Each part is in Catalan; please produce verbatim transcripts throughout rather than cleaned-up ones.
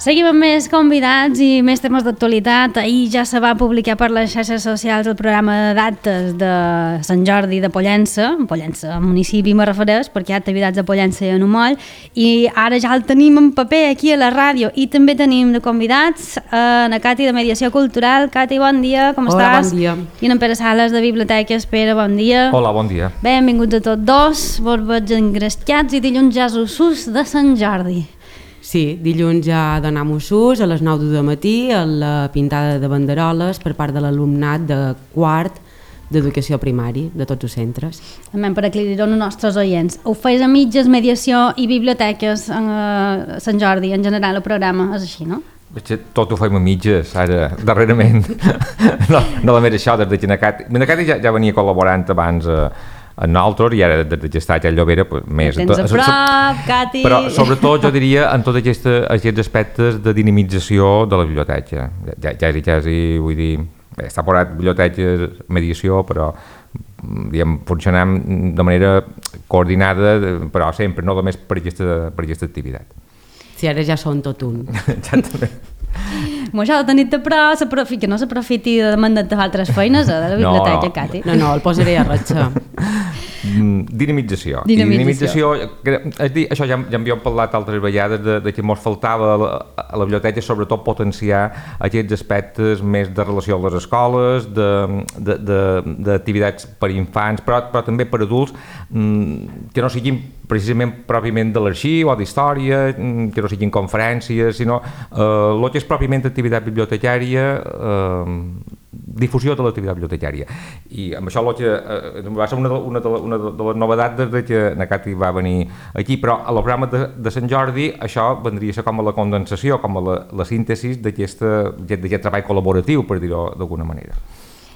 Seguim amb més convidats i més temes d'actualitat. Ahir ja se va publicar per les xarxes socials el programa de dates de Sant Jordi de Pollença, Pollença, municipi me refereix, perquè hi ha activitats de Pollença i en Umoll, i ara ja el tenim en paper aquí a la ràdio, i també tenim de convidats a la Cati de Mediació Cultural. Cati, bon dia, com Hola, estàs? bon dia. I en Pere Sales de Biblioteques. Pere, bon dia. Hola, bon dia. Benvinguts a tots dos, vos veig engrescats, i dilluns ja és Usus de Sant Jordi. Sí, dilluns ja donam ús a les nou del matí a la pintada de banderoles per part de l'alumnat de quart d'educació primari de tots els centres. També per aclarir-ho als nostres oients. Ho feis a mitges, mediació i biblioteques a Sant Jordi, en general, el programa, és així, no? Tot ho fem a mitges, ara, darrerament. no, no només això, des de Genacati. Genacati ja, ja venia col·laborant abans a, a nosaltres, i ara des de Gestat a Llobera pues, més. Tens a prop, Cati! Però sobretot jo diria en tots aquests, aquests aspectes de dinamització de la biblioteca. Ja, ja, ja, ja vull dir, bé, està posat biblioteca, mediació, però diguem, funcionem de manera coordinada, però sempre, no només per aquesta, per aquesta activitat. Si ara ja són tot un. Exactament. Mo això de tenir-te però que no s'aprofiti de mandar-te altres feines a la biblioteca, no, no. Cati. No, no, el posaré a ratxa. Dinamització. Dinamització. Dinamització, és dir, això ja, ja en havíem parlat altres vegades de, de que ens faltava a la, a la biblioteca, sobretot potenciar aquests aspectes més de relació a les escoles, d'activitats per infants, però, però també per adults, que no siguin precisament pròpiament de l'arxiu o d'història, que no siguin conferències, sinó eh, el que és pròpiament activitat bibliotecària, eh, difusió de l'activitat bibliotecària. I amb això que, eh, va ser una de, una de, una de les novetats des de que na Cati va venir aquí, però a el programa de, de Sant Jordi això vendria a ser com a la condensació, com a la, la síntesi d'aquest treball col·laboratiu, per dir-ho d'alguna manera.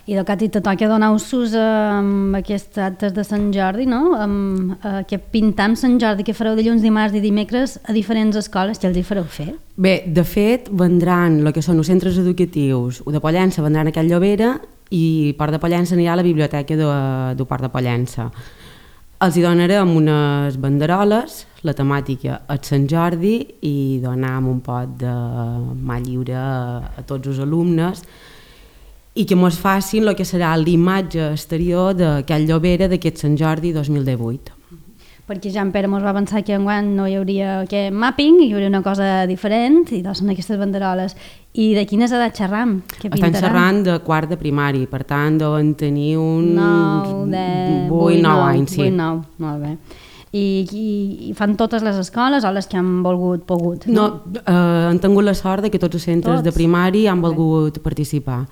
I del Cati te toca donar ús amb aquests actes de Sant Jordi, no? Amb eh, que pintam Sant Jordi, que fareu dilluns, dimarts i dimecres a diferents escoles, que els hi fareu fer? Bé, de fet, vendran el que són els centres educatius, o de Pollença vendran a Can Llobera i Port de Pollença anirà a la biblioteca de, de Port de Pollença. Els hi donarem unes banderoles, la temàtica és Sant Jordi, i donam un pot de mà lliure a, a tots els alumnes, i que mos facin el que serà l'imatge exterior de Can Llobera d'aquest Sant Jordi dos mil divuit. Perquè ja en Pere mos va pensar que enguany no hi hauria aquest mapping, hi hauria una cosa diferent, i doncs són aquestes banderoles. I de quines edats xerram? Estan xerrant de quart de primari, per tant deuen tenir uns nou, deu, vuit, nou anys. vuit, nou, molt bé. I, i, i fan totes les escoles o les que han volgut, pogut? No, no eh, han tingut la sort de que tots els centres tots? de primari han volgut okay. participar.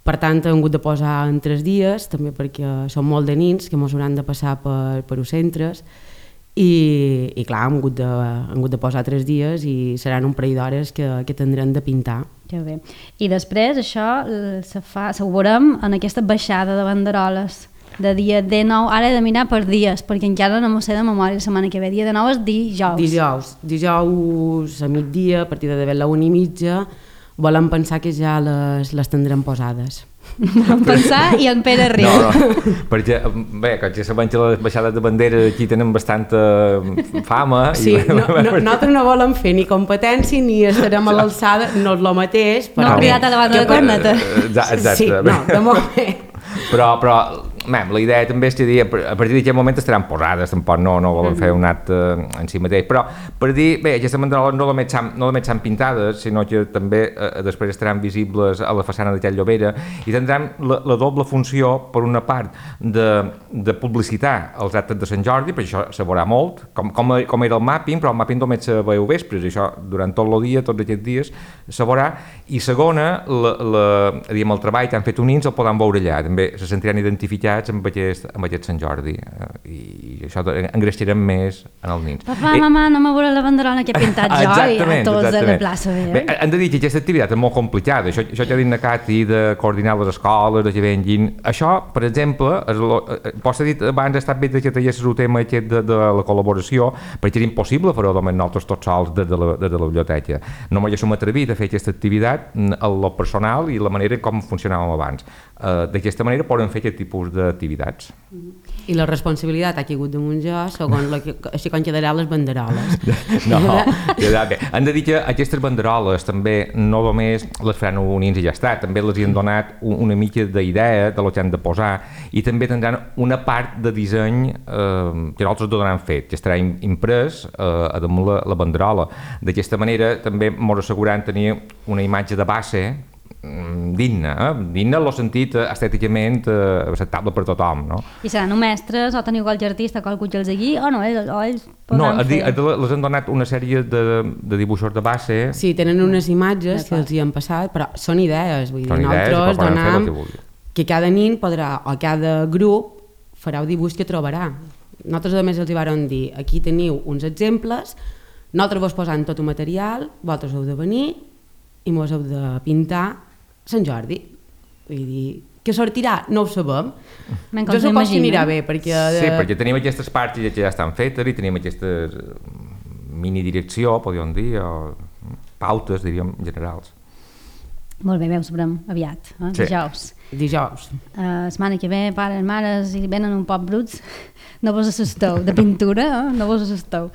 Per tant, hem hagut de posar en tres dies, també perquè són molt de nins que ens hauran de passar per, per els centres, i, i clar, hem hagut, de, hem hagut de posar tres dies i seran un parell d'hores que, que tindrem de pintar. Que bé. I després això se fa, se ho veurem en aquesta baixada de banderoles de dia dinou, ara he de mirar per dies, perquè encara no m'ho sé de memòria la setmana que ve. Dia dinou és dijous. Dijous, dijous a migdia, a partir de d'haver la una i mitja, volem pensar que ja les, les tindrem posades. Volem pensar i en Pere riu. No, no, perquè, bé, com ja sabem que les baixades de bandera aquí tenen bastanta fama. Sí, i... no, no, nosaltres no volem fer ni competència ni estarem a l'alçada, no és el mateix. Però... No, cridat a la banda de corneta. Exacte. Sí, no, de moment. Però, però mem, la idea també és que dir, a partir d'aquest moment estaran posades, tampoc no, no volen fer un acte en si mateix, però per dir, bé, aquestes banderoles no només s'han no s'han pintades, sinó que també eh, després estaran visibles a la façana de Can Llobera i tindran la, la doble funció, per una part, de, de publicitar els actes de Sant Jordi, perquè això se veurà molt, com, com, com era el mapping, però el mapping només se veu vespres, i això durant tot el dia, tots aquests dies, se veurà, i segona, la, la, diguem, el treball que han fet unins el poden veure allà, també se sentiran identificats amb aquest, amb aquest Sant Jordi, eh, i això engreixarem més en els nins. Papa, eh, mama, no me veurà la banderola que he pintat jo i a tots a la plaça. Bé, bé, hem de dir que aquesta activitat és molt complicada, això, això que ha dit na Cati de coordinar les escoles, de que venguin, això, per exemple, pots dir abans ha estat bé que teies el tema aquest de, de la col·laboració, perquè era impossible fer-ho només nosaltres tots sols des de, de, de la biblioteca. No m'haguéssim atrevit a fer aquesta activitat a lo personal i la manera com funcionàvem abans. Uh, D'aquesta manera poden fer aquest tipus de d'activitats. I la responsabilitat ha caigut damunt jo, segons la que, així com quedaran les banderoles. No, quedarà bé. Han de dir que aquestes banderoles també no només les faran unins i ja està, també les hi han donat una mica d'idea de lo que han de posar i també tindran una part de disseny eh, que nosaltres donaran fet, que estarà imprès eh, a damunt la, la banderola. D'aquesta manera també ens asseguran tenir una imatge de base digna, eh? digna en el sentit estèticament eh, acceptable per tothom, no? I seran o mestres o teniu qualque artista, qualcú que els digui, o no, ells, o ells podran no, fer... No, les han donat una sèrie de, de dibuixos de base. Sí, tenen unes imatges que els hi han passat, però són idees, vull dir, són nosaltres donam que, que cada nin podrà, o cada grup farà el dibuix que trobarà. Nosaltres a més els hi vàrem dir, aquí teniu uns exemples, nosaltres vos posant tot el material, vosaltres heu de venir i mos heu de pintar Sant Jordi. Vull dir, què sortirà? No ho sabem. Jo supos que anirà bé, perquè... De... Sí, perquè tenim aquestes parts que ja estan fetes i tenim aquestes mini-direcció, podríem dir, o pautes, diríem, generals. Molt bé, bé, ho sabrem aviat, eh? Sí. Dijous. Dijous. Uh, setmana que ve, pares, mares, i venen un poc bruts, no vos assusteu, de pintura, eh? No vos assusteu.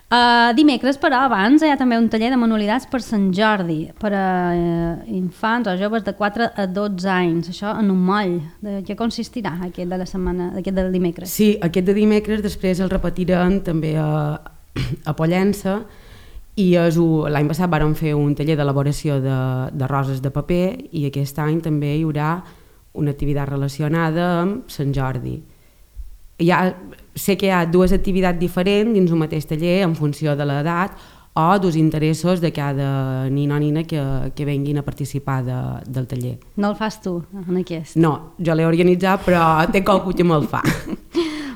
Uh, dimecres, però, abans hi ha també un taller de manualitats per Sant Jordi, per a uh, infants o joves de quatre a dotze anys. Això en un moll. De què consistirà aquest de la setmana, aquest del dimecres? Sí, aquest de dimecres després el repetirem també a, a Pollença i l'any passat vàrem fer un taller d'elaboració de, de roses de paper i aquest any també hi haurà una activitat relacionada amb Sant Jordi. Hi ha, sé que hi ha dues activitats diferents dins un mateix taller en funció de l'edat o dels interessos de cada nin o nina que, que venguin a participar de, del taller. No el fas tu, en aquest? No, jo l'he organitzat, però té qualcú que me'l fa.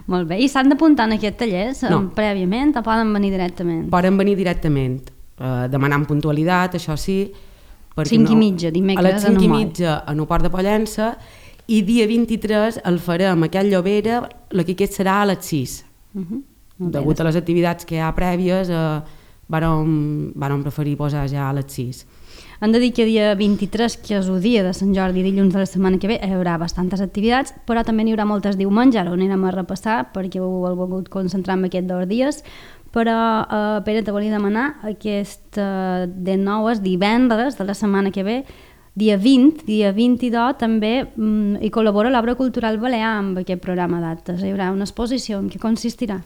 Molt bé. I s'han d'apuntar en aquest taller no. prèviament o poden venir directament? Poden venir directament, eh, demanant puntualitat, això sí. cinc i mitja, dimecres, a les cinc i mitja en el Port de Pollença, i dia vint-i-tres el farem a Can Llobera, el que aquest serà a les sis. Uh-huh. Degut a les activitats que hi ha prèvies, eh, vàrem, vàrem preferir posar ja a les sis. Hem de dir que dia vint-i-tres, que és el dia de Sant Jordi, dilluns de la setmana que ve, hi haurà bastantes activitats, però també n'hi haurà moltes diumenge, ara ho anirem a repassar perquè heu volgut concentrar en aquests dos dies, però eh, Pere, te volia demanar, aquest eh, de nou és divendres de la setmana que ve, dia vint, dia vint-i-dos, també mm, hi col·labora l'Obra Cultural Balear amb aquest programa d'actes. Hi haurà una exposició en què consistirà.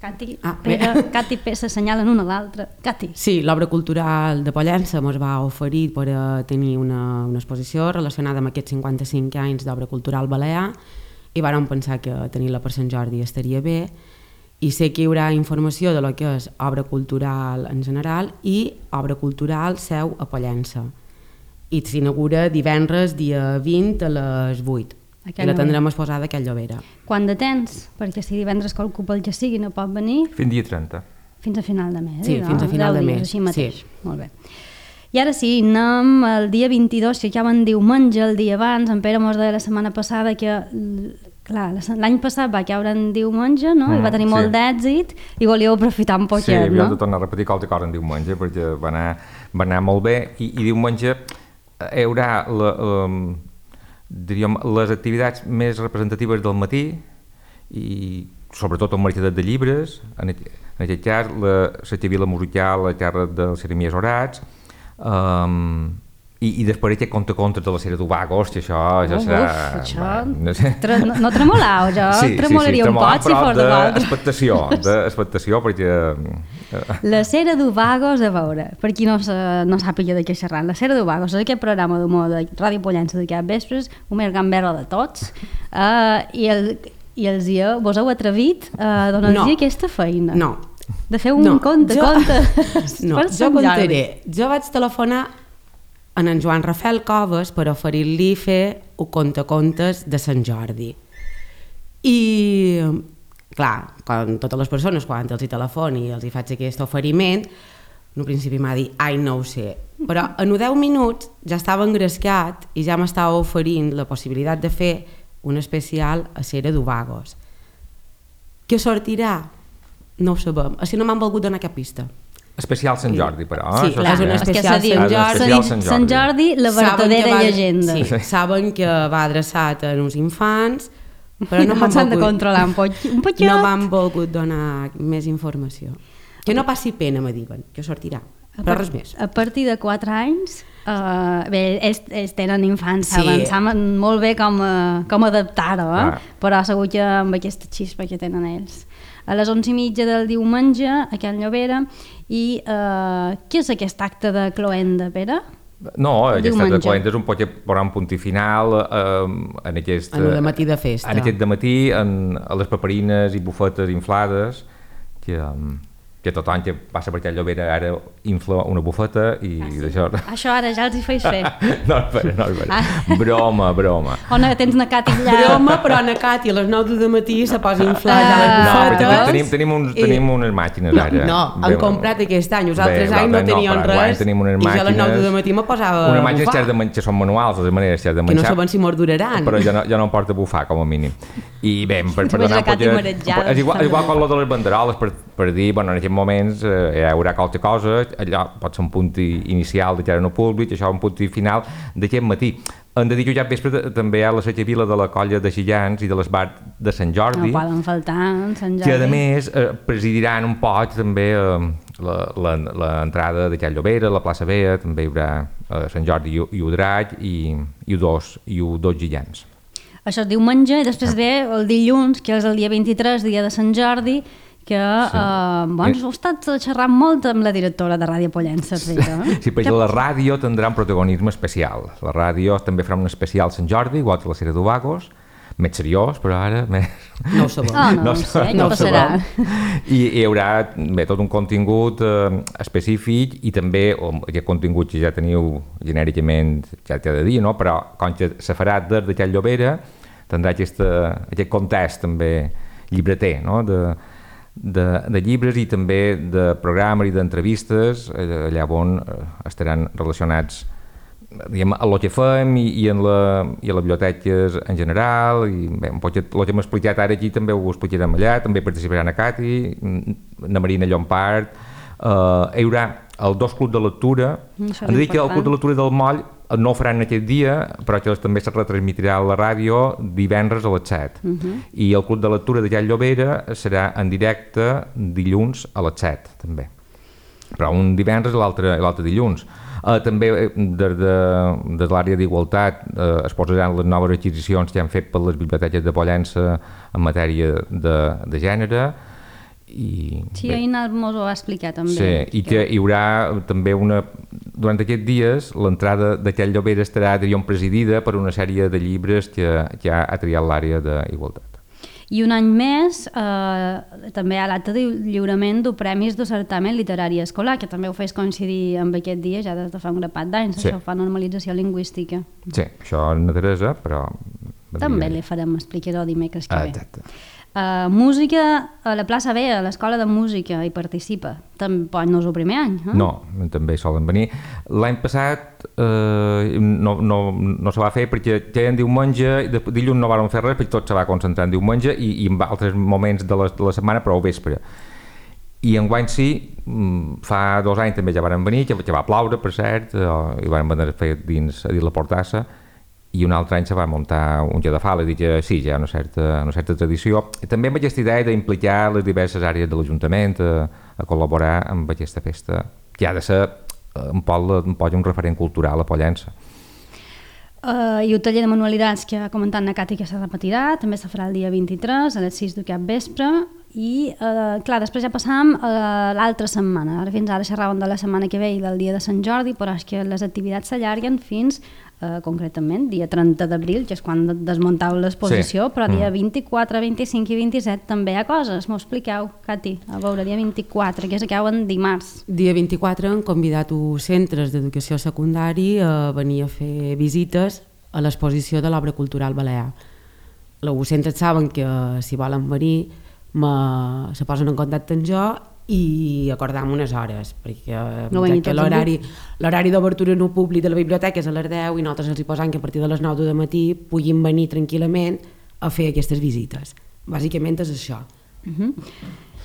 Cati, ah, Pere, Cati i Pere s'assenyalen una a l'altra. Cati. Sí, l'Obra Cultural de Pollença ens va oferir per a tenir una, una exposició relacionada amb aquests cinquanta-cinc anys d'Obra Cultural Balear i vàrem pensar que tenir-la per Sant Jordi estaria bé i sé que hi haurà informació de lo que és obra cultural en general i obra cultural seu a Pollença. I s'inaugura divendres dia vint a les vuit. I la tindrem exposada a Can Llobera. Quant de temps? Perquè si divendres qualcú pel que sigui no pot venir... Fins dia trenta. Fins a final de mes. Sí, no? fins a final de mes. Així mateix. Sí. Molt bé. I ara sí, anem el dia vint-i-dos, que ja van diumenge, el dia abans. En Pere mos deia la setmana passada que... Clar, l'any passat va caure en diumenge, no? Mm, I va tenir molt sí. d'èxit i volíeu aprofitar un poquet, sí, no? Sí, no? havia de tornar a repetir qualque cosa en diumenge perquè va anar, va anar molt bé i, i diumenge hi haurà la, um, diríem, les activitats més representatives del matí i sobretot el mercadet de llibres, en, en aquest cas la Setxavila musical a càrrec dels Jeremies Orats, um, i, i després aquest conte-contes de la sèrie d'Ubagos, que això ja serà... Uf, això... No, sé. Tre, no, no tremolau, jo sí, tremolaria sí, sí, un pot si fos de vol. Expectació, d'expectació, perquè... La sèrie d'Ubagos, a veure, per qui no, no sàpiga de què xerrar, la sèrie d'Ubagos és aquest programa d'humor de Ràdio Pollença de cap vespres, un més gamberro de tots, uh, i, el, i els dia, vos heu atrevit a uh, donar-los no. aquesta feina. No. De fer un no. conte, jo... conte. No, jo contaré. Jo vaig telefonar en en Joan Rafael Coves per oferir-li fer un conte-contes de Sant Jordi. I, clar, com totes les persones, quan els hi telefoni i els hi faig aquest oferiment, en un principi m'ha dit, ai, no ho sé. Però en deu minuts ja estava engrescat i ja m'estava oferint la possibilitat de fer un especial a Cera d'Ubagos. Què sortirà? No ho sabem. Així no m'han volgut donar cap pista. Especial Sant Jordi, però. Sí, això és un ja. especial És que Sant diu, Jordi. Especial Sant Jordi. Sant Jordi, la verdadera va, llegenda. Sí, saben que va adreçat a uns infants, però no No m'han s'han de volgut, controlar un poc, un poquet. no m'han volgut donar més informació. Que no passi pena, me diuen, que sortirà, però res més. A partir de quatre anys, uh, bé, ells, ells tenen infants, Sí. saben, saben molt bé com, uh, com adaptar-ho, eh? Ah. Però segur que amb aquesta xispa que tenen ells. A les onze i mitja del diumenge, a Can Llobera, i uh, què és aquest acte de cloenda, Pere? No, aquest acte de Diumenge. cloenda és un poc posar un punt i final eh, en aquest... En un matí de festa. En aquest dematí, en, a les paperines i bufetes inflades, que, um, que tothom que passa per Can Llobera ara infla una bufeta i Ah, sí? d'això... Això ara ja els hi feis fer. no, espera, no, espera. Ah. Broma, broma. O no, tens na Cati allà. Broma, però na Cati a les nou del matí se posa a inflar ja Ah. les No, però bufetes. tenim, tenim, uns, i- tenim unes màquines No, ara. no, han comprat aquest any, els altres Bé, anys no l'altre any tenien però enguany res, tenim unes i jo a les nou màquines- del matí me posava Unes a màquines bufar, que, de, men- que són manuals, de maneres que has de que no menjar. saben si mos duraran. Però jo no, jo no em porto a bufar, com a mínim. I bé, per, per Veig donar la Cati un poquet- marejada. És igual, és igual com lo de les banderoles, per, per dir, bueno, en aquests moments eh, hi haurà qualque cosa, allò pot ser un punt i- inicial de que ara no públic, això un punt i final d'aquest matí. Hem de dir que ja vespre t- també hi ha la Vila de la colla de Gillans i de l'Esbar de Sant Jordi, No poden faltar, Sant Jordi. que a més eh, presidiran un poc també eh, l'entrada de Can Llobera, la plaça Bea, també hi haurà eh, Sant Jordi i, i Udraig i, i, dos, i dos Gillans. Això és diumenge i després ve el dilluns, que és el dia vint-i-tres, dia de Sant Jordi, que sí. eh, bons, heu estat xerrant molt amb la directora de Ràdio Pollença. Eh? Sí, perquè la ràdio tindrà un protagonisme especial. La ràdio també farà un especial Sant Jordi, igual que la Sera d'Ovagos, més seriós, però ara més... No ho sabem. Ah, no, no, ho sé, sabem, què ho passarà? sabem. I hi haurà bé, tot un contingut eh, específic i també o, aquest contingut que ja teniu genèricament ja cada dia, no? Però com que se farà des de Can Llobera tindrà aquesta, aquest context també llibreter, no? de, de, de llibres i també de programes i d'entrevistes eh, allà on eh, estaran relacionats diguem, a lo que fem i, i, en la, i a les biblioteques en general i bé, un poc el que hem explicat ara aquí també ho explicarem allà, també participaran a Cati, na Marina Llompart, uh, hi haurà el dos club de lectura, Això és hem de dir que el important. club de lectura del Moll no ho faran aquest dia, però que també se retransmitirà a la ràdio divendres a les set. Uh -huh. I el club de lectura de Can Llobera serà en directe dilluns a les set, també. Però un divendres i l'altre dilluns. Uh, també des de, de l'àrea d'igualtat uh, es posaran les noves adquisicions que han fet per les biblioteques de Pollença en matèria de, de gènere. I, Sí, bé, ahir mos ho va explicar també. sí, i que hi haurà també una... Durant aquests dies l'entrada d'aquell Llobera estarà, diríem, presidida per una sèrie de llibres que, que ha, ha triat l'àrea d'igualtat. I un any més eh, també hi ha l'acte de lliurament de premis de certamen literari escolar, que també ho fes coincidir amb aquest dia ja des de fa un grapat d'anys, Sí. això fa normalització lingüística. Sí, això és Teresa, però... També li farem explicar-ho dimecres que Ah, ve. exacte. Uh, música a la plaça B, a l'escola de música, hi participa. Tampoc no és el primer any, eh? No, també solen venir. L'any passat eh, no, no, no se va fer perquè ja en diumenge, de, dilluns no vàrem fer res perquè tot se va concentrar en diumenge i, i en altres moments de la, de la setmana, però al vespre. I enguany sí, fa dos anys també ja varen venir, que, que va ploure, per cert, eh, i varen venir a fer dins, a dins la Portassa, i un altre any se va muntar un dia de fala, i dir que sí, ja hi ha una certa, una certa tradició. I també amb aquesta idea d'implicar les diverses àrees de l'Ajuntament a, a col·laborar amb aquesta festa, que ha de ser un poc, un, poc un referent cultural a Pollença. Uh, I el taller de manualitats que ha comentat na Cati que se repetirà, també se farà el dia vint-i-tres a les sis de cap vespre i, uh, clar, després ja passàvem a l'altra setmana. Ara fins ara xerràvem de la setmana que ve i del dia de Sant Jordi, però és que les activitats s'allarguen fins, uh, concretament, dia trenta d'abril, que és quan desmuntau l'exposició, Sí. però dia Mm. vint-i-quatre, vint-i-cinc i vint-i-set també hi ha coses. M'ho expliqueu, Cati? A veure, dia vint-i-quatre, que és que en dimarts. Dia vint-i-quatre han convidat els centres d'educació secundari a venir a fer visites a l'exposició de l'obra cultural balear. Els centres saben que si volen venir me, se posen en contacte amb jo i acordam unes hores, perquè No venir que tots l'horari l'horari d'obertura no públic de la biblioteca és a les deu i nosaltres els hi posam que a partir de les nou del matí puguin venir tranquil·lament a fer aquestes visites. Bàsicament és això. Uh-huh.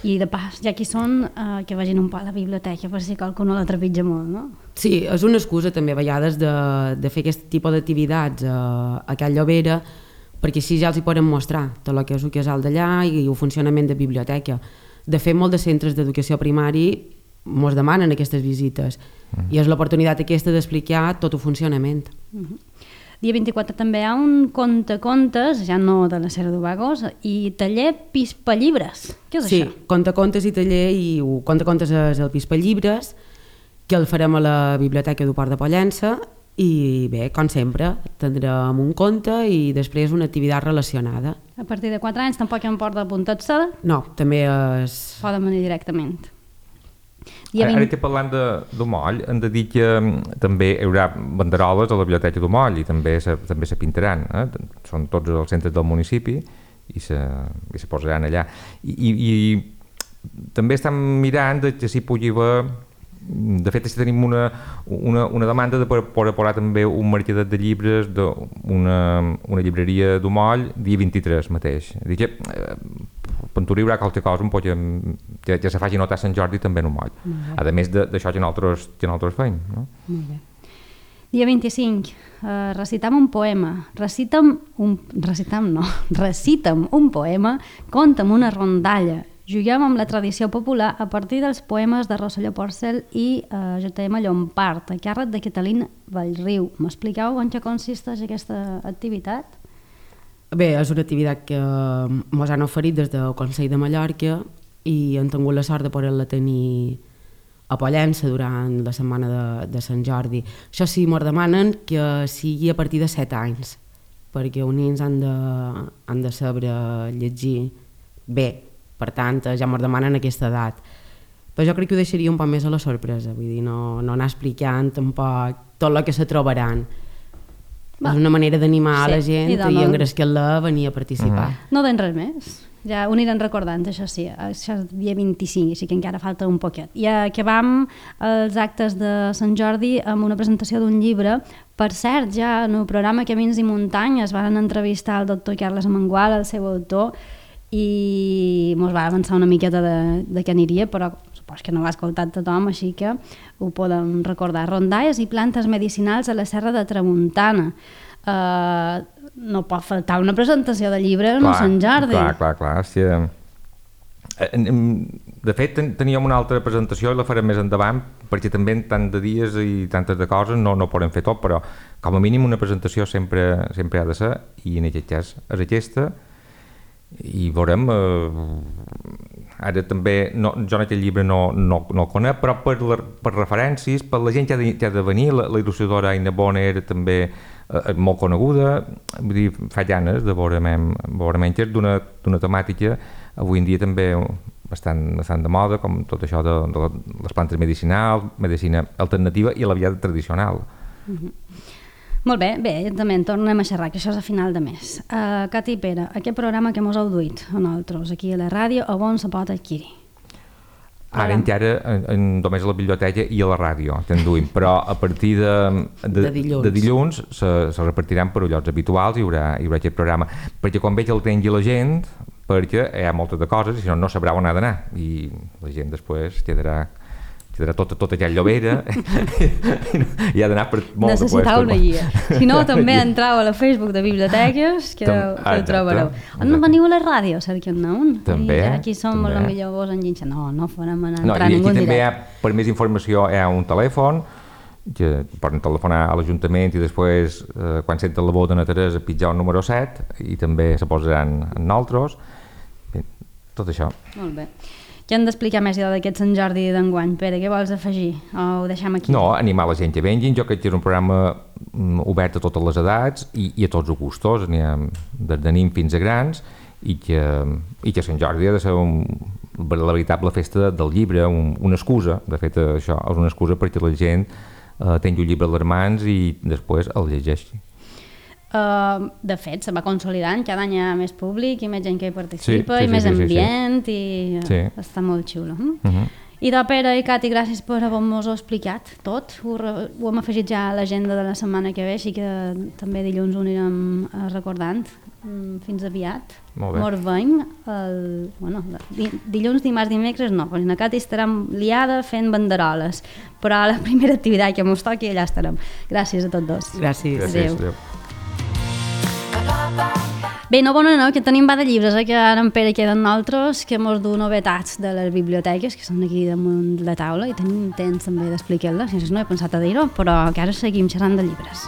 I de pas, ja que hi són, uh, que vagin un poc a la biblioteca per si qualcú no la trepitja molt, no? Sí, és una excusa també a vegades de, de fer aquest tipus d'activitats a, a Can Llobera, perquè així ja els hi poden mostrar tot el que és el casal d'allà i el funcionament de biblioteca. De fet, molts de centres d'educació primari ens demanen aquestes visites mm. i és l'oportunitat aquesta d'explicar tot el funcionament. Mm-hmm. Dia vint-i-quatre també hi ha un conte-contes, ja no de la Serra d'Ovagos, i taller Pispallibres. Què és sí, això? Sí, conte-contes i taller, i el conte-contes és el Pispallibres, que el farem a la Biblioteca del Port de Pollença, i bé, com sempre, tindrem un conte i després una activitat relacionada. A partir de quatre anys tampoc hi ha un port d'apuntar-se? No, també és... Poden venir directament. Ara, ara estic parlant de, de Moll, hem de dir que també hi haurà banderoles a la biblioteca de Moll i també se, també se pintaran, eh? Són tots els centres del municipi i se, i se posaran allà. I, i, i també estem mirant de que s'hi pugui haver, de fet tenim una, una, una demanda de poder posar també un mercadet de llibres d'una una llibreria de Moll dia vint-i-tres mateix. Dic que eh, Pentura hi haurà qualque cosa un poc que, que se faci notar a Sant Jordi també en un moll. A més d'això que nosaltres, que nosaltres feim. No? Molt bé. Dia vint-i-cinc, uh, recitam un poema. Recitam un... Recitam no. Recitam un poema, conta'm una rondalla. Juguem amb la tradició popular a partir dels poemes de Rosselló Porcel i uh, J M Llompart, a càrrec de Catalina Vallriu. M'expliqueu en què consisteix aquesta activitat? Bé, és una activitat que ens han oferit des del Consell de Mallorca i hem tingut la sort de poder-la tenir a Pollença durant la setmana de, de Sant Jordi. Això sí, ens demanen que sigui a partir de set anys, perquè els nens han de, han de saber llegir bé, per tant, ja ens demanen aquesta edat. Però jo crec que ho deixaria un poc més a la sorpresa, vull dir, no, no anar explicant tampoc tot el que se trobaran. Va. És una manera d'animar sí, la gent i, i engrescar-la a venir a participar. Mm. No den res més, ja ho aniran recordant, això sí, això és dia vint-i-cinc, així que encara falta un poquet. I acabam els actes de Sant Jordi amb una presentació d'un llibre. Per cert, ja en el programa Camins i Muntanyes van entrevistar el doctor Carles Amengual, el seu autor, i mos va avançar una miqueta de, de què aniria, però supos que no ho ha escoltat tothom, així que ho podem recordar. Rondalles i plantes medicinals a la Serra de Tramuntana. Uh, no pot faltar una presentació de llibre en Sant Jordi. Clar, clar, clar. Sí. De fet, teníem una altra presentació i la farem més endavant, perquè també en tant de dies i tantes de coses no, no podem fer tot, però com a mínim una presentació sempre, sempre ha de ser, i en aquest cas és aquesta. I veurem, eh, ara també, no, jo en aquest llibre no, no, no el conec, però per, la, per referències, per la gent que ha de, que ha de venir, la, la il·lustradora Aina Bona era també eh, molt coneguda, vull dir, fa llanes de veure, veure menys d'una temàtica avui en dia també bastant, bastant de moda, com tot això de, de les plantes medicinals, medicina alternativa i la via tradicional. Mm-hmm. Molt bé, bé, també en tornem a xerrar, que això és a final de mes. Uh, Cati i Pere, aquest programa que mos heu duit a nosaltres, aquí a la ràdio, a on se pot adquirir? Ara encara en, en, només a la biblioteca i a la ràdio te'n duim, però a partir de, de, de dilluns, de dilluns se, se repartiran per llocs habituals i hi haurà, hi haurà aquest programa. Perquè quan veig el tengui la gent, perquè hi ha moltes de coses i si no, no sabrà on ha d'anar i la gent després quedarà quedarà tota, tota aquella Llobera i ha d'anar per molt de puestos. Necessitau una guia. Si no, també entreu a la Facebook de biblioteques que ho trobareu. On no veniu a la ràdio, cerquem-ne un. També. I aquí som la millor vos enginxa. No, no farem anar no, entrar ningú en directe. També hi ha, per més informació, hi ha un telèfon que poden telefonar a l'Ajuntament i després, eh, quan senten la veu d'Anna Teresa, pitjar el número set i també se posaran en nosaltres. Bé, tot això. Molt bé. Què hem d'explicar més d'aquest Sant Jordi d'enguany? Pere, què vols afegir? O ho deixem aquí? No, animar la gent que vengin. Jo crec que és un programa obert a totes les edats i, i a tots els gustos. N'hi ha des de nins fins a grans i que, i que Sant Jordi ha de ser un, la veritable festa del llibre, un, una excusa. De fet, això és una excusa perquè la gent eh, tingui un llibre a les mans i després el llegeixi. Uh, de fet, se va consolidant, cada any hi ha més públic i més gent que hi participa, sí, sí, i més sí, sí, ambient sí, sí. i sí. Està molt xulo. Hm? Uh-huh. I de Pere i Cati, gràcies per haver-nos-ho explicat tot. Ho, ho hem afegit ja a l'agenda de la setmana que ve, així que també dilluns ho anirem recordant. Fins aviat. Molt bé. Mos veiem el, bueno, dilluns, dimarts, dimecres no, perquè na Cati estarem liada fent banderoles, però la primera activitat que mos toqui allà estarem. Gràcies a tots dos. Gràcies. Gràcies. Adéu. Adéu. Bé, no, bona, no, que tenim va de llibres, eh, que ara en Pere queden nosaltres, que mos du novetats de les biblioteques, que són aquí damunt la taula, i tenim temps també d'explicar-les, no he pensat a dir-ho, però que ara seguim xerrant de llibres.